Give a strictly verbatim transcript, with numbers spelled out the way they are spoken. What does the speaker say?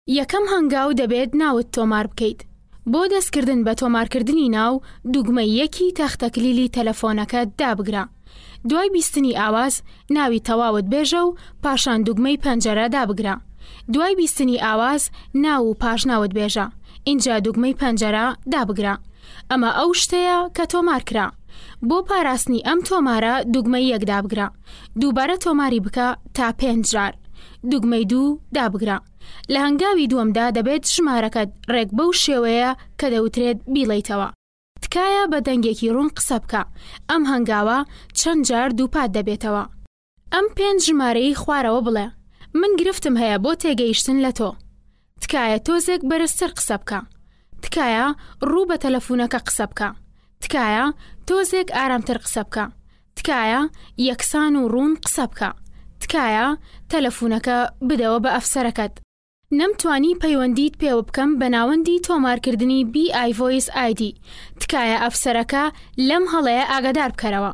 یەکەم هەنگاو دەبێت ناوت تۆمار بکەیت. بۆ دەستکردن بە تۆمارکردنی ناو، دوگمەی یەکی تەختەکلیلی تەلەفۆنەکەت دابگرە. دوای بیستنی ئاواز، ناوی تەواوت بێژە و پاشان دوگمەی پەنجەرە دابگرە. دوای بیستنی ئاواز، ناو و پاشناوت بێژە، ئینجا دوگمەی پەنجەرە دابگرە. ئەمە ئەو شتەیە کە تۆمار کرا. بۆ پاراستنی ئەم تۆمارە دوگمەی یەک دابگرە. دووبارە تۆماری بکە تا پێنج جار. دوگمەی دوو دابگرە. لە هەنگاوی دووەمدا دەبێت ژمارەکەت ڕێک بەو شێوەیە کە دەوترێت بیڵێیتەوە. تکایە بە دەنگێکی ڕوون قسە بکە. ئەم هەنگاوە چەند جار دووپات دەبێتەوە. ئەم پێنج ژمارەی خوارەوە بڵێ. من گرفتم هەیە بۆ تێگەیشتن لە تۆ. تکایە تۆزێک بەرزتر قسە بکە. تکایە ڕوو بە تەلەفۆنەکە قسە بکە. تکایە تۆزێک ئارامتر قسە بکە. تکایە یەکسان و ڕوون قسە بکە. تکایە تەلەفۆنەکە بدەوە بە ئەفسەرەکەت. نەمتوانی پەیوەندیت پێوە بکەم بە ناوەندی تۆمارکردنی بی ئای ڤۆیس ئایدی. تکایە ئەفسەرەکە لەم هەڵەیە ئاگادار بکەرەوە.